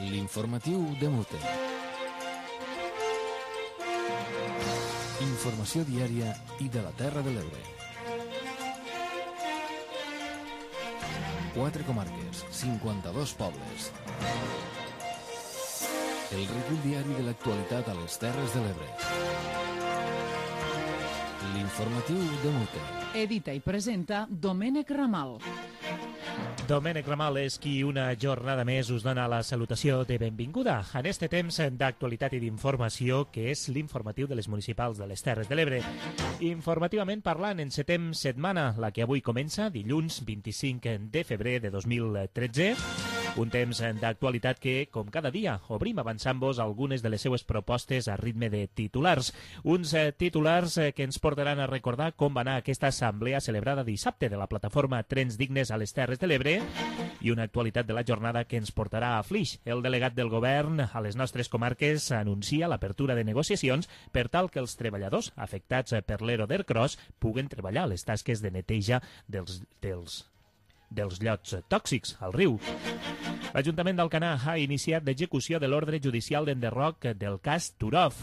L'informatiu de Mute. Informació diària i de la Terra de l'Ebre. 4 comarques, 52 pobles. El recull diari de l'actualitat a les Terres de l'Ebre. L'informatiu de Mute. Edita i presenta Domènec Ramal. Domènec Ramal és qui una jornada més us dona la salutació de benvinguda en este temps d'actualitat i d'informació que és l'informatiu de les municipals de les Terres de l'Ebre. Informativament parlant, encetem setmana, la que avui comença, dilluns 25 de febrer de 2013. Un temps d'actualitat que, com cada dia, obrim avançant-vos algunes de les seues propostes a ritme de titulars. Uns titulars que ens portaran a recordar com va anar aquesta assemblea celebrada dissabte de la plataforma Trens Dignes a les Terres de l'Ebre i una actualitat de la jornada que ens portarà a Flix. El delegat del govern a les nostres comarques anuncia l'apertura de negociacions per tal que els treballadors afectats per l'ERO d'Ercros puguen treballar a les tasques de neteja dels llots tòxics al riu. L'Ajuntament d'Alcanar ha iniciat l'execució de l'ordre judicial d'enderroc del cas Turov.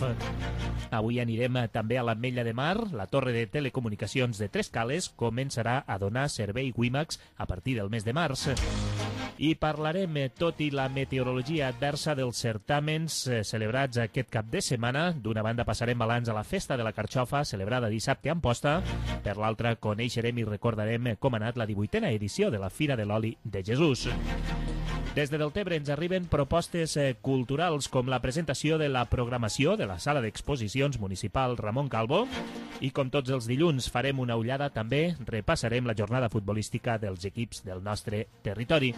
Avui anirem també a l'Ametlla de Mar. La torre de telecomunicacions de Trescales començarà a donar servei WiMAX a partir del mes de març. I parlarem, tot i la meteorologia adversa, dels certàmens celebrats aquest cap de setmana. D'una banda passarem balanç a la Festa de la Carxofa, celebrada dissabte a Amposta. Per l'altra coneixerem i recordarem com ha anat la 18a edició de la Fira de l'Oli de Jesús. Des de Deltebre ens arriben propostes culturals com la presentació de la programació de la Sala d'Exposicions Municipal Ramon Calvo i com tots els dilluns farem una ullada, també repassarem la jornada futbolística dels equips del nostre territori.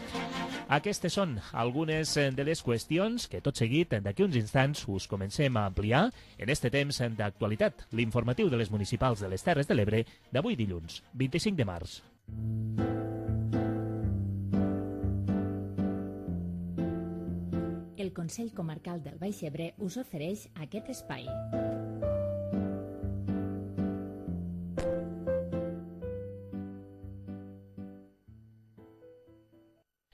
Aquestes són algunes de les qüestions que tot seguit d'aquí uns instants us comencem a ampliar en este temps d'actualitat, l'informatiu de les municipals de les Terres de l'Ebre d'avui dilluns, 25 de març. El Consell Comarcal del Baix Ebre us ofereix aquest espai.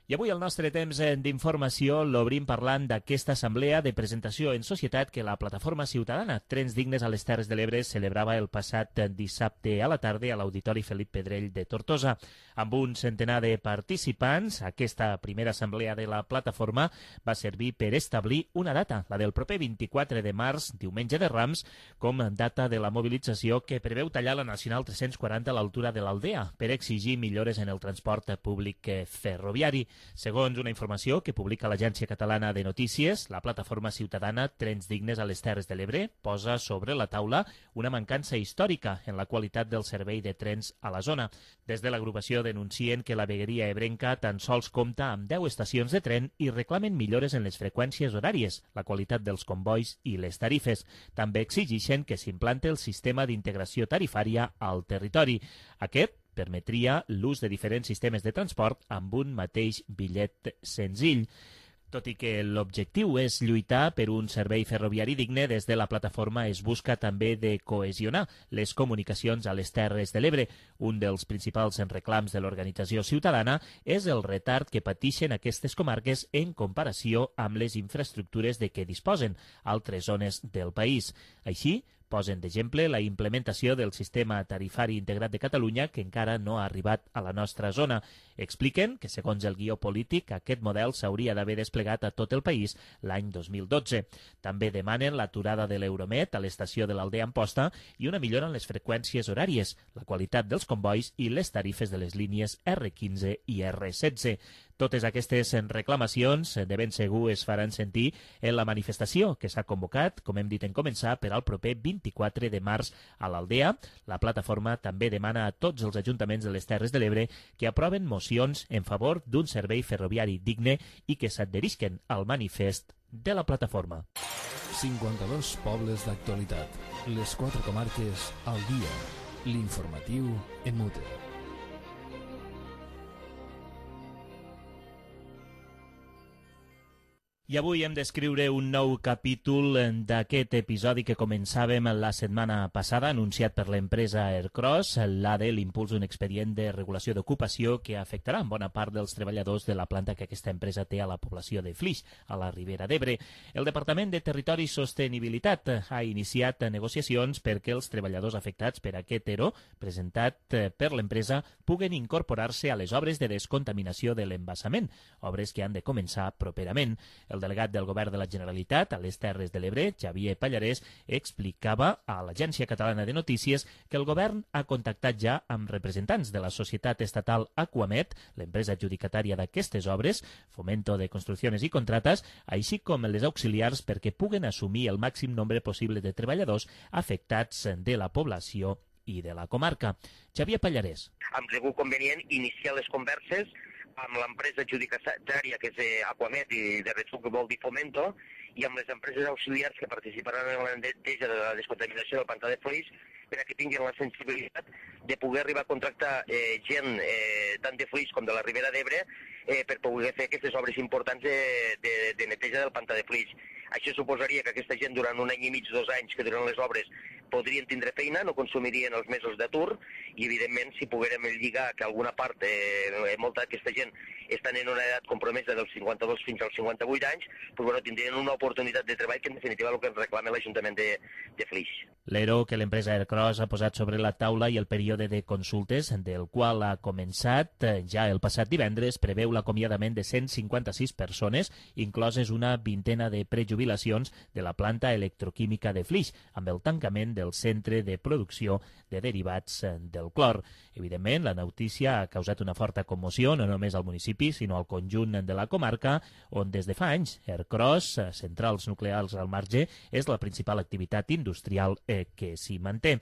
I avui el nostre temps d'informació l'obrim parlant d'aquesta assemblea de presentació en societat que la plataforma ciutadana Trens Dignes a les Terres de l'Ebre celebrava el passat dissabte a la tarda a l'Auditori Felip Pedrell de Tortosa. Amb un centenar de participants, aquesta primera assemblea de la plataforma va servir per establir una data, la del proper 24 de març, diumenge de Rams, com data de la mobilització que preveu tallar la Nacional 340 a l'altura de l'Aldea per exigir millores en el transport públic ferroviari. Segons una informació que publica l'Agència Catalana de Notícies, la plataforma ciutadana Trens Dignes a les Terres de l'Ebre posa sobre la taula una mancança històrica en la qualitat del servei de trens a la zona. Des de l'agrupació denuncien que la vegueria ebrenca tan sols compta amb 10 estacions de tren i reclamen millores en les freqüències horàries, la qualitat dels convois i les tarifes. També exigeixen que s'implante el sistema d'integració tarifària al territori. Aquest permetria l'ús de diferents sistemes de transport amb un mateix bitllet senzill. Tot i que l'objectiu és lluitar per un servei ferroviari digne, des de la plataforma es busca també de cohesionar les comunicacions a les Terres de l'Ebre. Un dels principals reclams de l'organització ciutadana és el retard que pateixen aquestes comarques en comparació amb les infraestructures de què disposen altres zones del país. Així, posen d'exemple la implementació del sistema tarifari integrat de Catalunya, que encara no ha arribat a la nostra zona. Expliquen que, segons el guió polític, aquest model s'hauria d'haver desplegat a tot el país l'any 2012. També demanen l'aturada de l'Euromet a l'estació de l'Aldea Amposta i una millora en les freqüències horàries, la qualitat dels convois i les tarifes de les línies R15 i R16. Totes aquestes reclamacions de ben segur es faran sentir en la manifestació que s'ha convocat, com hem dit en començar, per al proper 24 de març a l'Aldea. La plataforma també demana a tots els ajuntaments de les Terres de l'Ebre que aproven mocions en favor d'un servei ferroviari digne i que s'adherisquen al manifest de la plataforma. 52 pobles d'actualitat. Les 4 comarques al dia. L'informatiu en Mute. I avui hem d'escriure un nou capítol d'aquest episodi que començàvem la setmana passada, anunciat per l'empresa Aircross. L'ADE l'impulsa un expedient de regulació d'ocupació que afectarà en bona part dels treballadors de la planta que aquesta empresa té a la població de Flix, a la Ribera d'Ebre. El Departament de Territori i Sostenibilitat ha iniciat negociacions perquè els treballadors afectats per aquest ERO, presentat per l'empresa, puguen incorporar-se a les obres de descontaminació de l'embassament, obres que han de començar properament. El delegat del Govern de la Generalitat a les Terres de l'Ebre, Xavier Pallarès, explicava a l'Agència Catalana de Notícies que el Govern ha contactat ja amb representants de la societat estatal Aquamet, l'empresa adjudicatària d'aquestes obres, Fomento de Construcciones i Contratas, així com les auxiliars perquè puguen assumir el màxim nombre possible de treballadors afectats de la població i de la comarca. Xavier Pallarès. Hem cregut convenient iniciar les converses amb l'empresa adjudicatària, que és Aquamet i de retruc que vol dir Fomento, i amb les empreses auxiliars que participaran en la neteja de la descontaminació del pantà de Flix, per a que tinguin la sensibilitat de poder arribar a contractar gent tant de Flix com de la Ribera d'Ebre per poder fer aquestes obres importants de neteja del pantà de Flix. Això suposaria que aquesta gent durant un any i mig, 2 anys que duren les obres podrien tindre feina, no consumirien els mesos d'atur i evidentment si poguérem lligar que alguna part, molta d'aquesta gent estan en una edat compromesa dels 52 fins als 58 anys, doncs bueno, tindrien una oportunitat de treball que en definitiva és el que reclama l'Ajuntament de Flix. L'ERO que l'empresa Aircross ha posat sobre la taula i el període de consultes del qual ha començat ja el passat divendres preveu l'acomiadament de 156 persones, incloses una vintena de prejubilacions de la planta electroquímica de Flix, amb el tancament del centre de producció de derivats del clor. Evidentment, la notícia ha causat una forta commoció, no només al municipi, sinó al conjunt de la comarca, on des de fa anys Aircross, centrals nuclears al marge, és la principal activitat industrial que s'hi manté.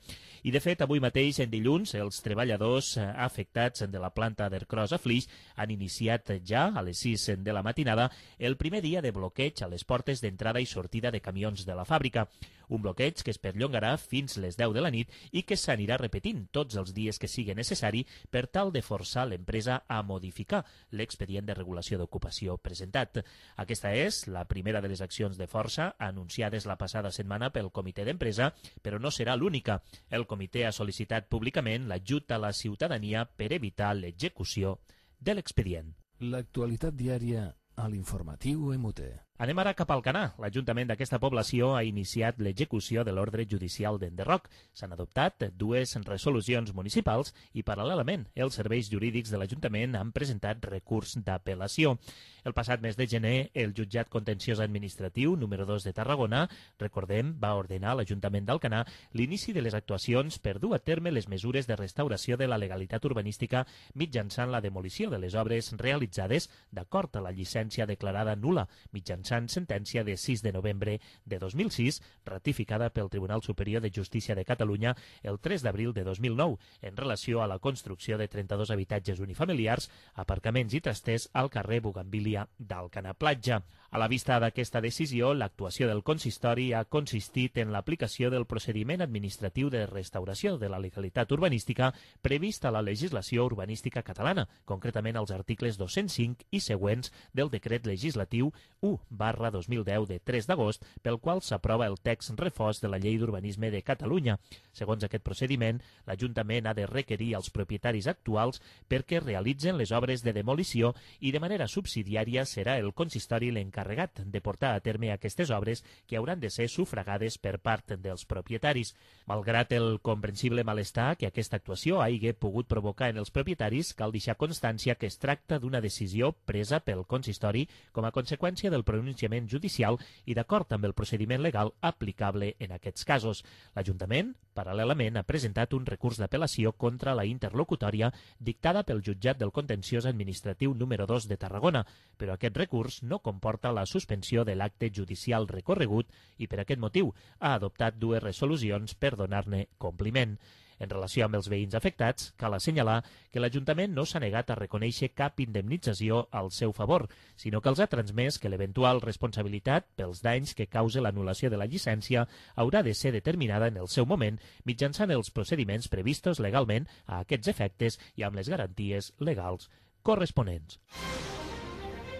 I, de fet, avui mateix, en dilluns, els treballadors afectats de la planta d'Aircross a Flix han iniciat ja, a les 6 de la matinada, el primer dia de bloqueig a les portes d'entrada i sortida de camions de la fàbrica. Un bloqueig que es perllongarà fins les 10 de la nit i que s'anirà repetint tots els dies que sigui necessari per tal de forçar l'empresa a modificar l'expedient de regulació d'ocupació presentat. Aquesta és la primera de les accions de força anunciades la passada setmana pel comitè d'empresa, però no serà l'única. El comitè ha sol·licitat públicament l'ajut a la ciutadania per evitar l'execució de l'expedient. L'actualitat diària a l'informatiu EMUTE. Anem ara cap al Canà. L'Ajuntament d'aquesta població ha iniciat l'execució de l'ordre judicial d'enderroc. S'han adoptat 2 resolucions municipals i, paral·lelament, els serveis jurídics de l'Ajuntament han presentat recurs d'apel·lació. El passat mes de gener, el Jutjat Contenciós Administratiu número 2 de Tarragona, recordem, va ordenar a l'Ajuntament d'Alcanar l'inici de les actuacions per dur a terme les mesures de restauració de la legalitat urbanística mitjançant la demolició de les obres realitzades d'acord a la llicència declarada nul·la mitjançant sentència de 6 de novembre de 2006, ratificada pel Tribunal Superior de Justícia de Catalunya el 3 d'abril de 2009, en relació a la construcció de 32 habitatges unifamiliars, aparcaments i trasters al carrer Bugambilia d'Alcanar Platja. A la vista d'aquesta decisió, l'actuació del consistori ha consistit en l'aplicació del procediment administratiu de restauració de la legalitat urbanística previst a la legislació urbanística catalana, concretament als articles 205 i següents del decret legislatiu 1/2010 de 3 d'agost, pel qual s'aprova el text refós de la Llei d'Urbanisme de Catalunya. Segons aquest procediment, l'Ajuntament ha de requerir als propietaris actuals perquè realitzen les obres de demolició i de manera subsidiària serà el consistori l'encarregat de portar a terme aquestes obres que hauran de ser sufragades per part dels propietaris. Malgrat el comprensible malestar que aquesta actuació hagi pogut provocar en els propietaris, cal deixar constància que es tracta d'una decisió presa pel consistori com a conseqüència del pronunciament judicial i d'acord amb el procediment legal aplicable en aquests casos. L'Ajuntament, paral·lelament, ha presentat un recurs d'apel·lació contra la interlocutòria dictada pel Jutjat del Contenciós Administratiu número 2 de Tarragona, però aquest recurs no comporta la suspensió de l'acte judicial recorregut i per aquest motiu ha adoptat 2 resolucions per donar-ne compliment. En relació amb els veïns afectats, cal assenyalar que l'Ajuntament no s'ha negat a reconèixer cap indemnització al seu favor, sinó que els ha transmès que l'eventual responsabilitat pels danys que cause l'anul·lació de la llicència haurà de ser determinada en el seu moment mitjançant els procediments previstos legalment a aquests efectes i amb les garanties legals corresponents.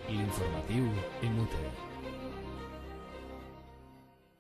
L'informatiu EMUTE.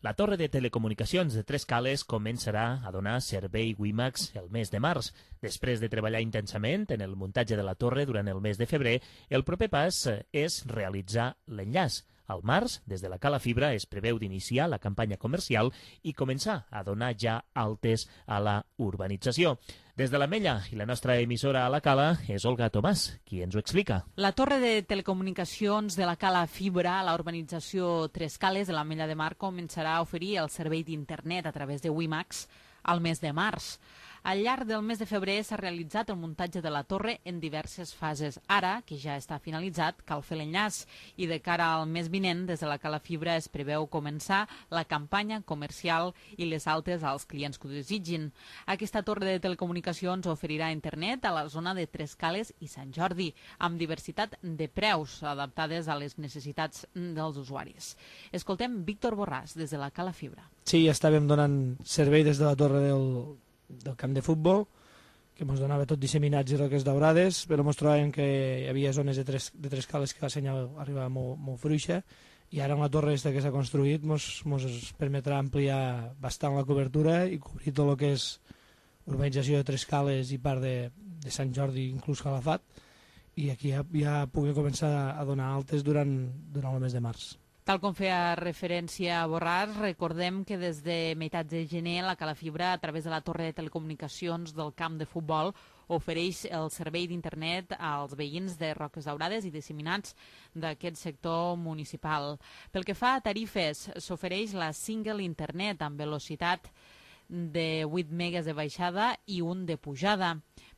La torre de telecomunicacions de Tres Cales començarà a donar servei WiMAX el mes de març. Després de treballar intensament en el muntatge de la torre durant el mes de febrer, el proper pas és realitzar l'enllaç. Al març, des de la Cala Fibra, es preveu d'iniciar la campanya comercial i començar a donar ja altes a la urbanització. Des de l'Ametlla i la nostra emissora a la Cala és Olga Tomàs, qui ens ho explica. La torre de telecomunicacions de la Cala Fibra a la urbanització Tres Cales de l'Ametlla de Mar començarà a oferir el servei d'internet a través de WiMAX al mes de març. Al llarg del mes de febrer s'ha realitzat el muntatge de la torre en diverses fases. Ara, que ja està finalitzat, cal fer l'enllaç i de cara al mes vinent, des de la Cala Fibra es preveu començar la campanya comercial i les altes als clients que ho desitgin. Aquesta torre de telecomunicacions oferirà internet a la zona de Tres Cales i Sant Jordi, amb diversitat de preus adaptades a les necessitats dels usuaris. Escoltem Víctor Borràs, des de la Cala Fibra. Sí, estàvem donant servei des de la torre del camp de futbol, que ens donava tot disseminats i roques daurades, però ens trobàvem que hi havia zones de tres cales que la senyal arribava molt fruixa, i ara amb la torre que s'ha construït ens permetrà ampliar bastant la cobertura i cobrir tot el que és urbanització de Tres Cales i part de Sant Jordi, inclús Calafat, i aquí ja puguem començar a donar altes durant el mes de març. Tal com feia referència a Borràs, recordem que des de meitats de gener la Cala Fibra, a través de la torre de telecomunicacions del camp de futbol, ofereix el servei d'internet als veïns de Roques Daurades i disseminats d'aquest sector municipal. Pel que fa a tarifes, s'ofereix la single internet amb velocitat de 8 megas de baixada i un de pujada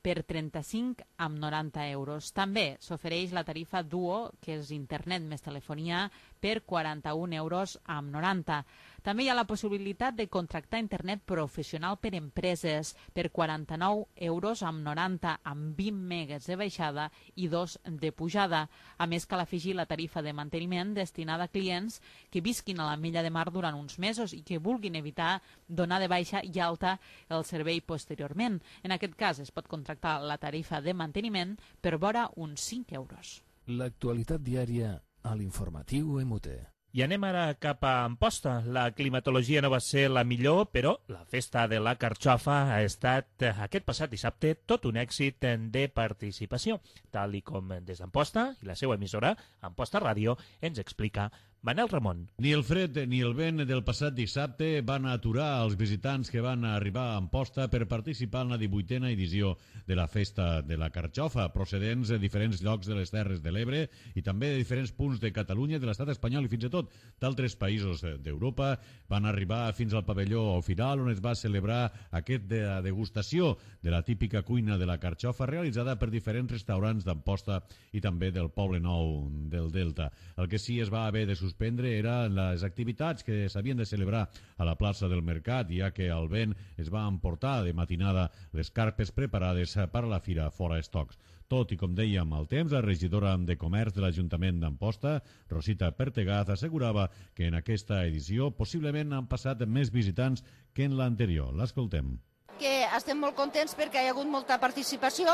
per 35 amb 90 euros. També s'ofereix la tarifa Duo, que és internet més telefonia, per 41 euros amb 90. També hi ha la possibilitat de contractar internet professional per empreses per 49 euros amb 90, amb 20 megas de baixada i 2 de pujada. A més, cal afegir la tarifa de manteniment destinada a clients que visquin a l'Ametlla de Mar durant uns mesos i que vulguin evitar donar de baixa i alta el servei posteriorment. En aquest cas es pot contractar la tarifa de manteniment per vora uns 5 euros. L'actualitat diària a l'informatiu MUT. I anem ara cap a Amposta. La climatologia no va ser la millor, però la festa de la carxofa ha estat aquest passat dissabte tot un èxit de participació, tal i com des d'Amposta i la seva emissora, Amposta Ràdio, ens explica Manel Ramon. Ni el fred ni el vent del passat dissabte van aturar els visitants que van arribar a Amposta per participar en la 18a edició de la Festa de la Carxofa, procedents de diferents llocs de les Terres de l'Ebre i també de diferents punts de Catalunya, de l'estat espanyol i fins i tot d'altres països d'Europa. Van arribar fins al pavelló Firal, on es va celebrar aquesta degustació de la típica cuina de la carxofa realitzada per diferents restaurants d'Amposta i també del Poble Nou del Delta. El que sí es va haver de suspendre eren les activitats que s'havien de celebrar a la plaça del Mercat, ja que el vent es va emportar de matinada les carpes preparades per a la fira fora estocs. Tot i, com dèiem, el temps, la regidora de Comerç de l'Ajuntament d'Amposta, Rosita Pertegaz, assegurava que en aquesta edició possiblement han passat més visitants que en l'anterior. L'escoltem. Que estem molt contents perquè hi ha hagut molta participació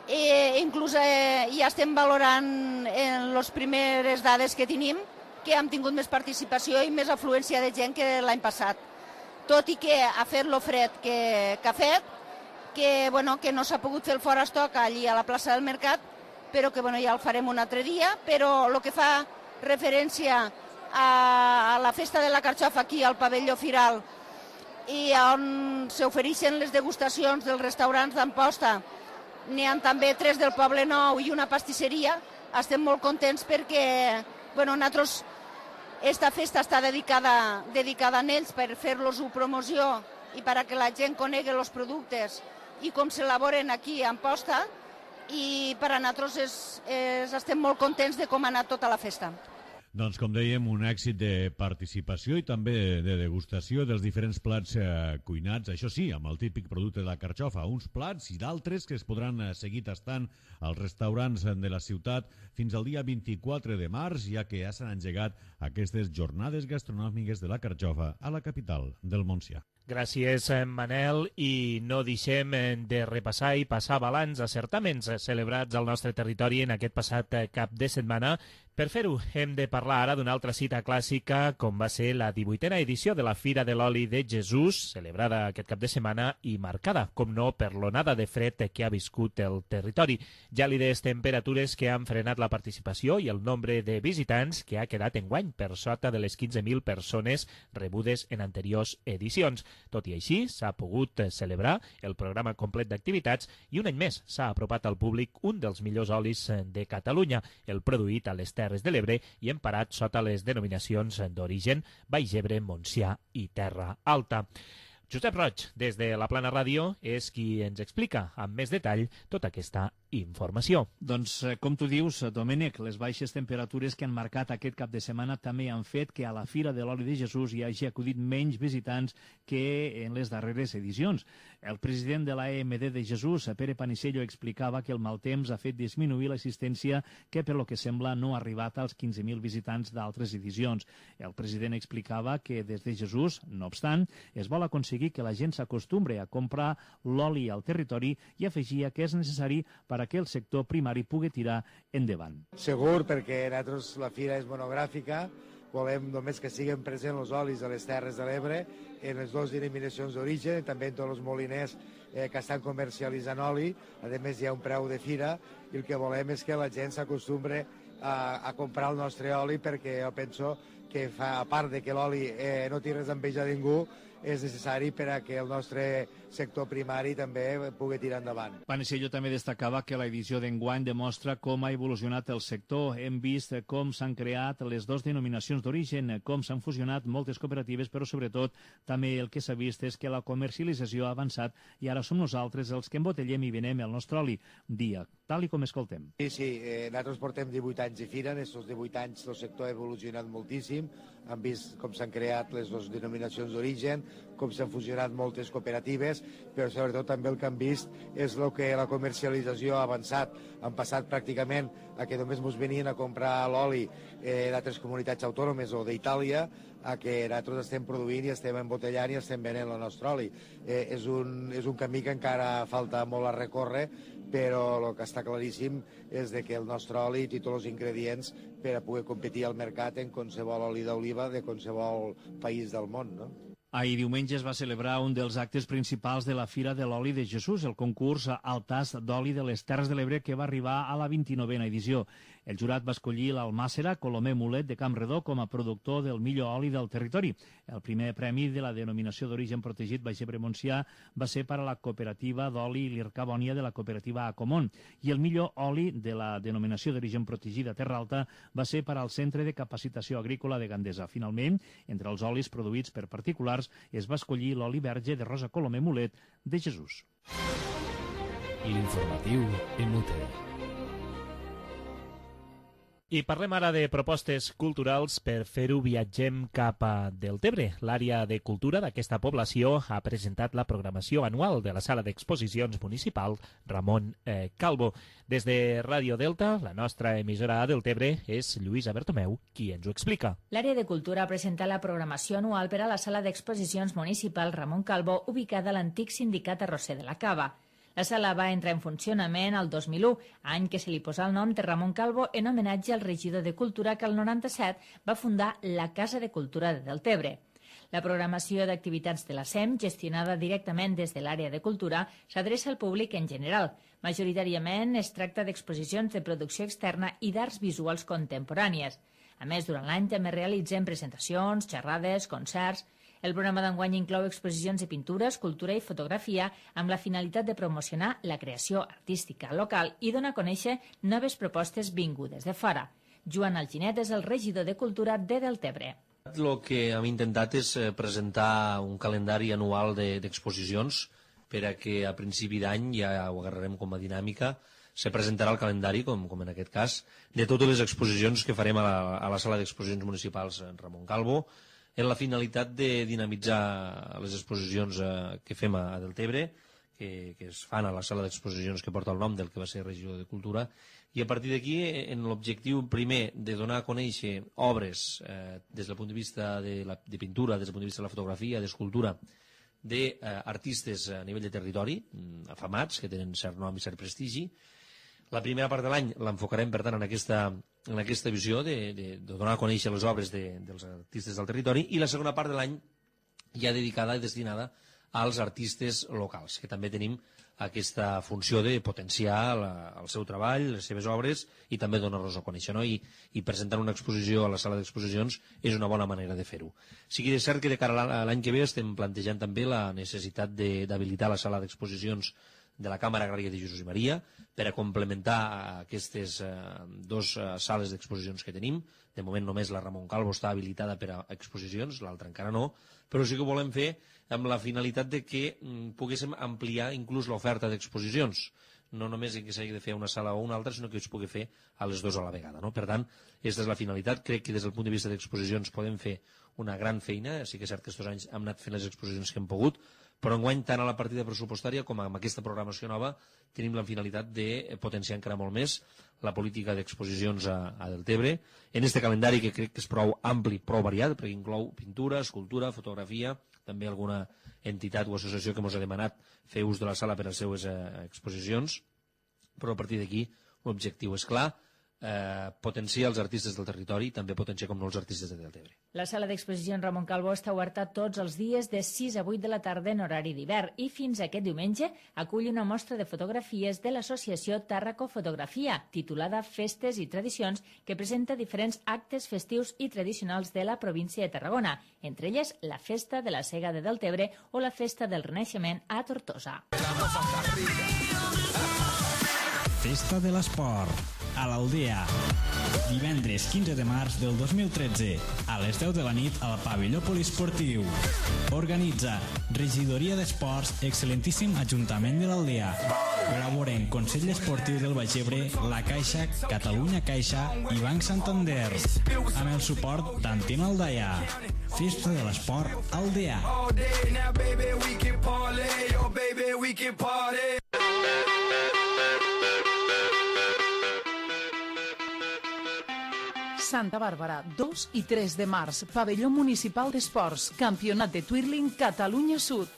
i inclús ja estem valorant en les primeres dades que tenim que hem tingut més participació i més afluència de gent que l'any passat. Tot i que ha fet lo fred que ha fet, que no s'ha pogut fer el fora estoc allí a la plaça del Mercat, però que ja el farem un altre dia, però el que fa referència a la festa de la carxofa aquí al pavelló Firal i on s'ofereixen les degustacions dels restaurants d'Amposta, n'hi ha també 3 del Poble Nou i una pastisseria, estem molt contents perquè nosaltres esta festa està dedicada a ells per fer-los promoció i perquè la gent conegui els productes i com s'elaboren aquí a Amposta, i per a nosaltres estem molt contents de com ha anat tota la festa. Doncs, com dèiem, un èxit de participació i també de degustació dels diferents plats cuinats, això sí, amb el típic producte de la carxofa, uns plats i d'altres que es podran seguir tastant als restaurants de la ciutat fins al dia 24 de març, ja que ja s'han engegat aquestes jornades gastronòmiques de la carxofa a la capital del Montsià. Gràcies, Manel, i no deixem de repassar i passar balanç a certaments celebrats al nostre territori en aquest passat cap de setmana. Per fer-ho, hem de parlar ara d'una altra cita clàssica, com va ser la 18a edició de la Fira de l'Oli de Jesús, celebrada aquest cap de setmana i marcada, com no, per l'onada de fred que ha viscut el territori. Gèlides temperatures que han frenat la participació i el nombre de visitants que ha quedat enguany per sota de les 15.000 persones rebudes en anteriors edicions. Tot i així, s'ha pogut celebrar el programa complet d'activitats i un any més s'ha apropat al públic un dels millors olis de Catalunya, el produït a les Terres de l'Ebre i emparat sota les denominacions d'origen Baix Ebre, Montsià i Terra Alta. Josep Roig, des de la Plana Ràdio, és qui ens explica amb més detall tota aquesta informació. Doncs, com tu dius, Domènec, les baixes temperatures que han marcat aquest cap de setmana també han fet que a la Fira de l'Oli de Jesús hi hagi acudit menys visitants que en les darreres edicions. El president de l'AMD de Jesús, Pere Panisello, explicava que el mal temps ha fet disminuir l'assistència que, per lo que sembla, no ha arribat als 15.000 visitants d'altres edicions. El president explicava que des de Jesús, no obstant, es vol aconseguir que la gent s'acostumbre a comprar l'oli al territori i afegia que és necessari per a que el sector primari pugui tirar endavant. Segur, perquè nosaltres la fira és monogràfica, volem només que siguin presents els olis de les Terres de l'Ebre en les dues denominacions d'origen i també en tots els moliners que estan comercialitzant oli. A més, hi ha un preu de fira i el que volem és que la gent s'acostumbre a comprar el nostre oli, perquè jo penso que a part de que l'oli no té res d'enveja de ningú, és necessari per a que el nostre sector primari també pugui tirar endavant. Panisello també destacava que l'edició d'enguany demostra com ha evolucionat el sector. Hem vist com s'han creat les dues denominacions d'origen, com s'han fusionat moltes cooperatives, però sobretot també el que s'ha vist és que la comercialització ha avançat i ara som nosaltres els que embotellem i venem el nostre oli dia, tal i com escoltem. Sí, nosaltres portem 18 anys de fira, en aquests 18 anys el sector ha evolucionat moltíssim, han vist com s'han creat les dues denominacions d'origen, com s'han fusionat moltes cooperatives, però sobretot també el que han vist és el que la comercialització ha avançat. Han passat pràcticament a que només ens venien a comprar l'oli d'altres comunitats autònomes o d'Itàlia, a que nosaltres estem produint i estem embotellant i estem venent el nostre oli. És un camí que encara falta molt a recórrer, però el que està claríssim és que el nostre oli té tots els ingredients per a poder competir al mercat en qualsevol oli d'oliva de qualsevol país del món, no? Ahir diumenge es va celebrar un dels actes principals de la Fira de l'Oli de Jesús, el concurs al tast d'oli de les Terres de l'Ebre, que va arribar a la 29a edició. El jurat va escollir l'almàssera Colomer Mulet de Campredó com a productor del millor oli del territori. El primer premi de la denominació d'origen protegit Baix Ebre Montsià va ser per a la cooperativa d'oli Lircabònia de la cooperativa Acomont i el millor oli de la denominació d'origen protegida Terra Alta va ser per al Centre de Capacitació Agrícola de Gandesa. Finalment, entre els olis produïts per particulars es va escollir l'oli verge de Rosa Colomer Mulet de Jesús. L'informatiu en UTE. I parlem ara de propostes culturals. Per fer-ho viatgem cap a Deltebre. L'àrea de cultura d'aquesta població ha presentat la programació anual de la sala d'exposicions municipal Ramon Calvo. Des de Ràdio Delta, la nostra emissora a Deltebre, és Lluïsa Bertomeu qui ens ho explica. L'àrea de cultura ha presentat la programació anual per a la sala d'exposicions municipal Ramon Calvo, ubicada a l'antic sindicat Arrosser de la Cava. La sala va entrar en funcionament el 2001, any que se li posà el nom de Ramon Calvo en homenatge al regidor de Cultura que el 97 va fundar la Casa de Cultura de Deltebre. La programació d'activitats de la SEM, gestionada directament des de l'àrea de cultura, s'adreça al públic en general. Majoritàriament es tracta d'exposicions de producció externa i d'arts visuals contemporànies. A més, durant l'any també realitzen presentacions, xerrades, concerts. El programa d'enguany inclou exposicions de pintura, escultura i fotografia amb la finalitat de promocionar la creació artística local i donar a conèixer noves propostes vingudes de fora. Joan Alginet és el regidor de Cultura de Deltebre. El que hem intentat és presentar un calendari anual d'exposicions per a que a principi d'any, ja ho agarrarem com a dinàmica, se presentarà el calendari, com en aquest cas, de totes les exposicions que farem a la sala d'exposicions municipals Ramon Calvo, en la finalitat de dinamitzar les exposicions que fem a Deltebre, que es fan a la sala d'exposicions que porta el nom del que va ser regidor de Cultura, i a partir d'aquí, en l'objectiu primer de donar a conèixer obres des del punt de vista de pintura, des del punt de vista de la fotografia, d'escultura, d'artistes a nivell de territori, afamats, que tenen cert nom i cert prestigi. La primera part de l'any l'enfocarem, per tant, en aquesta visió de donar a conèixer les obres dels artistes del territori, i la segona part de l'any ja dedicada i destinada als artistes locals, que també tenim aquesta funció de potenciar el seu treball, les seves obres, i també donar-los a conèixer, no? I presentar una exposició a la sala d'exposicions és una bona manera de fer-ho. Sí que és cert que de cara a l'any que ve estem plantejant també la necessitat d'habilitar la sala d'exposicions de la Càmera Agrària de Jesús i Maria per a complementar aquestes dues sales d'exposicions que tenim. De moment només la Ramon Calvo està habilitada per a exposicions, l'altra encara no, però sí que ho volem fer amb la finalitat de que poguéssim ampliar inclús l'oferta d'exposicions, no només que s'hagi de fer una sala o una altra, sinó que es pugui fer a les dues a la vegada, no? Per tant, aquesta és la finalitat. Crec que des del punt de vista d'exposicions podem fer una gran feina. Sí que és cert que aquests anys hem anat fent les exposicions que hem pogut, però enguany tant a la partida pressupostària com amb aquesta programació nova tenim la finalitat de potenciar encara molt més la política d'exposicions a Deltebre en este calendari, que crec que és prou ampli, prou variat, perquè inclou pintura, escultura, fotografia, també alguna entitat o associació que ens ha demanat fer ús de la sala per a les seues exposicions, però a partir d'aquí l'objectiu és clar, potenciar els artistes del territori i també potenciar com no els artistes de Deltebre. La sala d'exposicions Ramon Calvo està oberta tots els dies de 6 a 8 de la tarda en horari d'hivern i fins aquest diumenge acull una mostra de fotografies de l'associació Tàrraco Fotografia, titulada Festes i Tradicions, que presenta diferents actes festius i tradicionals de la província de Tarragona, entre elles la Festa de la Sega de Deltebre o la Festa del Renaixement a Tortosa. Festa de l'Esport a l'Aldea. Divendres 15 de març del 2013 a les 10 de la nit al pavelló poliesportiu. Organitza Regidoria d'Esports, excel·lentíssim Ajuntament de l'Aldea. Col·laboren Consell Esportiu del Baix Ebre, La Caixa, Catalunya Caixa i Banc Santander. Amb el suport d'Antena Aldaia. Festa de l'Esport Aldea. Santa Bàrbara, 2 i 3 de març, Pavelló Municipal d'Esports, Campionat de Twirling Catalunya Sud.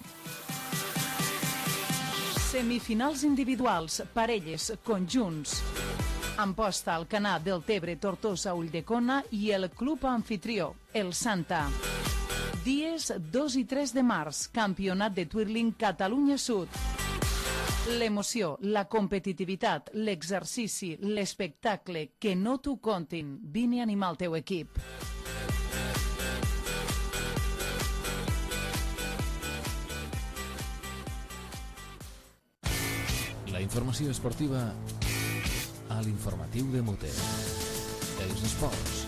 Semifinals individuals, parelles, conjunts. Amposta al Canà del Tebre, Tortosa, Ulldecona i el club anfitrió, el Santa. Dies 2 i 3 de març, Campionat de Twirling Catalunya Sud. L'emoció, la competitivitat, l'exercici, l'espectacle, que no t'ho contin. Vine a animar el teu equip. La informació esportiva a l'informatiu de Mute. Els esports.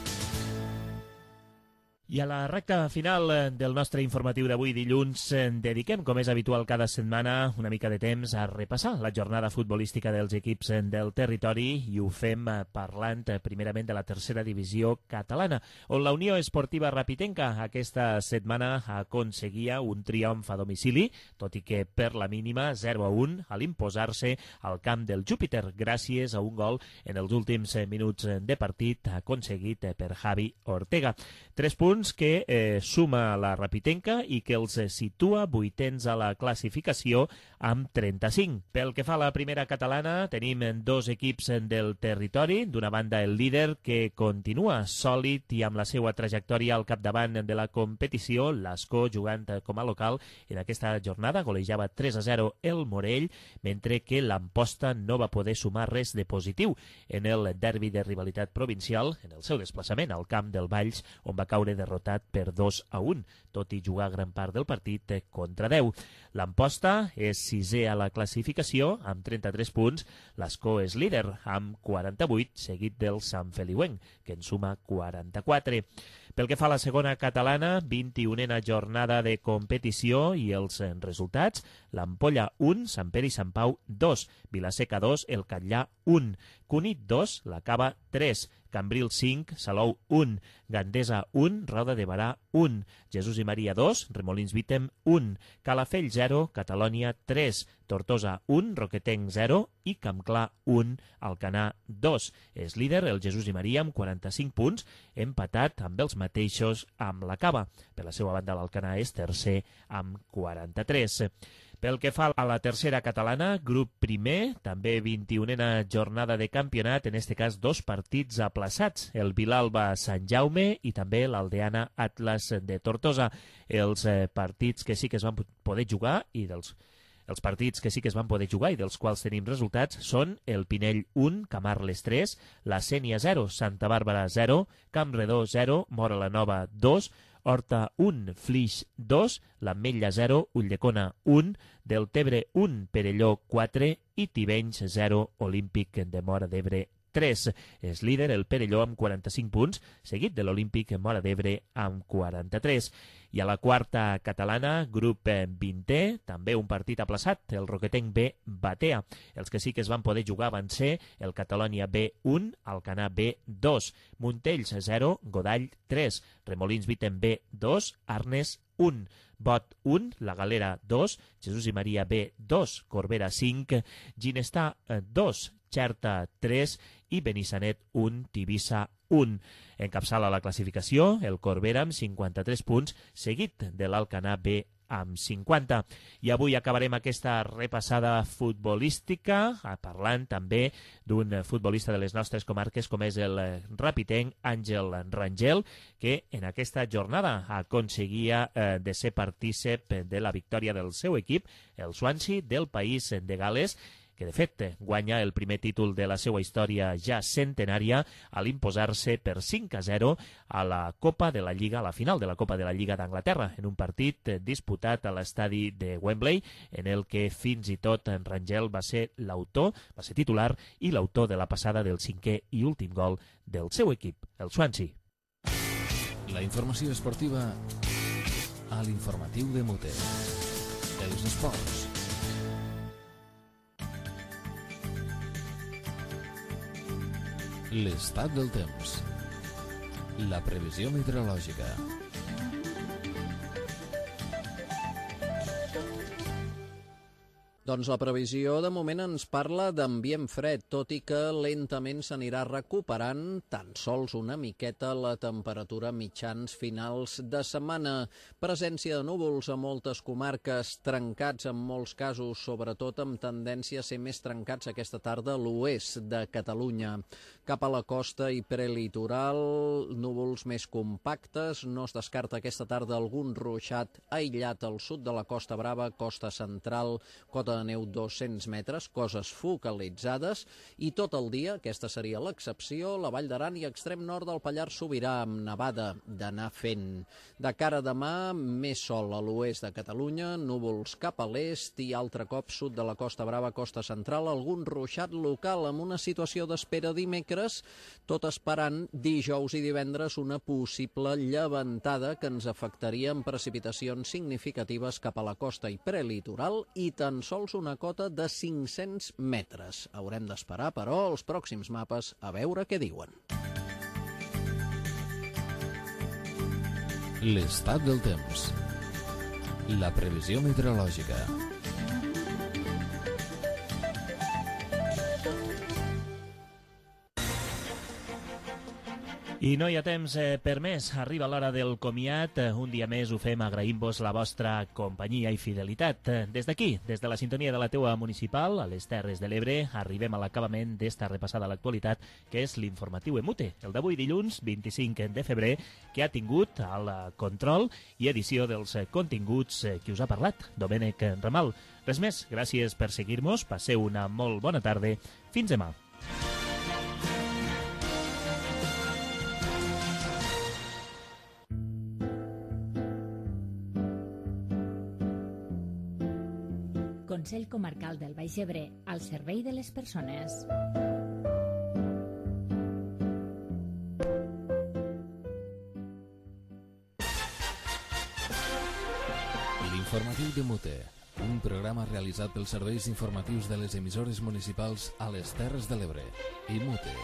I a la recta final del nostre informatiu d'avui dilluns dediquem, com és habitual cada setmana, una mica de temps a repassar la jornada futbolística dels equips del territori i ho fem parlant primerament de la tercera divisió catalana, on la Unió Esportiva Rapitenca aquesta setmana aconseguia un triomf a domicili, tot i que per la mínima 0-1 a l'imposar-se al camp del Júpiter gràcies a un gol en els últims minuts de partit aconseguit per Javi Ortega. 3 punts que suma la Rapitenca i que els situa vuitens a la classificació amb 35. Pel que fa a la primera catalana, tenim 2 equips del territori. D'una banda, el líder, que continua sòlid i amb la seva trajectòria al capdavant de la competició, l'Ascó, jugant com a local en aquesta jornada, golejava 3-0 el Morell, mentre que l'Amposta no va poder sumar res de positiu en el derbi de rivalitat provincial, en el seu desplaçament al camp del Valls, on va caure derrotat per 2-1, tot i jugar gran part del partit contra 10. L'Amposta és 6è a la classificació amb 33 punts, l'Ascó és líder amb 48, seguit del Sant Feliuenc, que en suma 44. Pel que fa a la segona catalana, 21a jornada de competició i els resultats, l'Ampolla 1, Sant Pere i Sant Pau 2, Vilaseca 2, el Catllà 1, Cunit 2, la Cava 3, Cambril 5, Salou 1, Gandesa 1, Roda de Barà 1, Jesús i Maria 2, Remolins Vítem 1, Calafell 0, Catalònia 3, Tortosa 1, Roquetenc 0 i Campclar 1, Alcanar 2. És líder el Jesús i Maria amb 45 punts, empatat amb els mateixos amb la Cava. Per la seva banda, l'Alcanar és tercer amb 43. Pel que fa a la tercera catalana, grup primer, també 21a jornada de campionat, en este cas 2 partits aplaçats, el Vilalba Sant Jaume i també l'Aldeana Atlas de Tortosa. Els partits que sí que es van poder jugar i els partits que sí que es van poder jugar i dels quals tenim resultats són el Pinell 1, Camarles 3, la Sénia 0, Santa Bàrbara 0, Campredó 0, Móra la Nova 2, Horta 1, Flix 2, l'Ametlla 0, Ulldecona 1, Deltebre 1, Perelló 4 i Tivenys 0, Olímpic de Móra d'Ebre 3. És líder el Perelló amb 45 punts, seguit de l'Olímpic Móra d'Ebre amb 43. I a la quarta catalana, grup 20è, també un partit aplaçat, el Roquetenc B Batea. Els que sí que es van poder jugar van ser el Catalònia B1, Alcanar B2, Montells 0, Godall 3, Remolins Viten B2, Arnes 1, Bot 1, La Galera 2, Jesús i Maria B2, Corbera 5, Ginestar 2, Xerta 3 i Benissanet 1, Tivissa 1. Encapçala la classificació el Corbera amb 53 punts, seguit de l'Alcanar B amb 50. I avui acabarem aquesta repassada futbolística parlant també d'un futbolista de les nostres comarques com és el rapitenc Àngel Rangel, que en aquesta jornada aconseguia de ser partícip de la victòria del seu equip, el Swansea del país de Gales, que de fet guanya el primer títol de la seva història ja centenària a l'imposar-se per 5-0 a la Copa de la Lliga, a la final de la Copa de la Lliga d'Anglaterra, en un partit disputat a l'estadi de Wembley, en el que fins i tot en Rangel va ser l'autor, va ser titular i l'autor de la passada del 5è i últim gol del seu equip, el Swansea. La informació esportiva a l'informatiu de Mute. Els esports. L'estat del temps. La previsió meteorològica. Doncs la previsió de moment ens parla d'ambient fred, tot i que lentament s'anirà recuperant tan sols una miqueta la temperatura mitjans finals de setmana. Presència de núvols a moltes comarques, trencats en molts casos, sobretot amb tendència a ser més trencats aquesta tarda a l'oest de Catalunya. Cap a la costa i prelitoral, núvols més compactes, no es descarta aquesta tarda algun ruixat aïllat al sud de la Costa Brava, costa central, cota de neu 200 metres, coses focalitzades, i tot el dia, aquesta seria l'excepció, la Vall d'Aran i extrem nord del Pallars Sobirà, amb nevada d'anar fent. De cara a demà, més sol a l'oest de Catalunya, núvols cap a l'est i altre cop sud de la Costa Brava, costa central, algun ruixat local amb una situació d'espera dimecres, tot esperant dijous i divendres una possible llevantada que ens afectaria amb precipitacions significatives cap a la costa i prelitoral i tan sols una cota de 500 metres. Haurem d'esperar, però, els pròxims mapes a veure què diuen. L'estat del temps. La previsió meteorològica. I no hi ha temps per més. Arriba l'hora del comiat. Un dia més ho fem agraint-vos la vostra companyia i fidelitat. Des d'aquí, des de la sintonia de la teua municipal, a les Terres de l'Ebre, arribem a l'acabament d'esta repassada a l'actualitat, que és l'informatiu Emute, el d'avui dilluns 25 de febrer, que ha tingut el control i edició dels continguts que us ha parlat Domènec Ramal. Res més, gràcies per seguir-nos, passeu una molt bona tarda. Fins demà. Consell Comarcal del Baix Ebre, al servei de les persones. L'informatiu de Mute, un programa realitzat pels serveis informatius de les emissores municipals a les Terres de l'Ebre i Mute.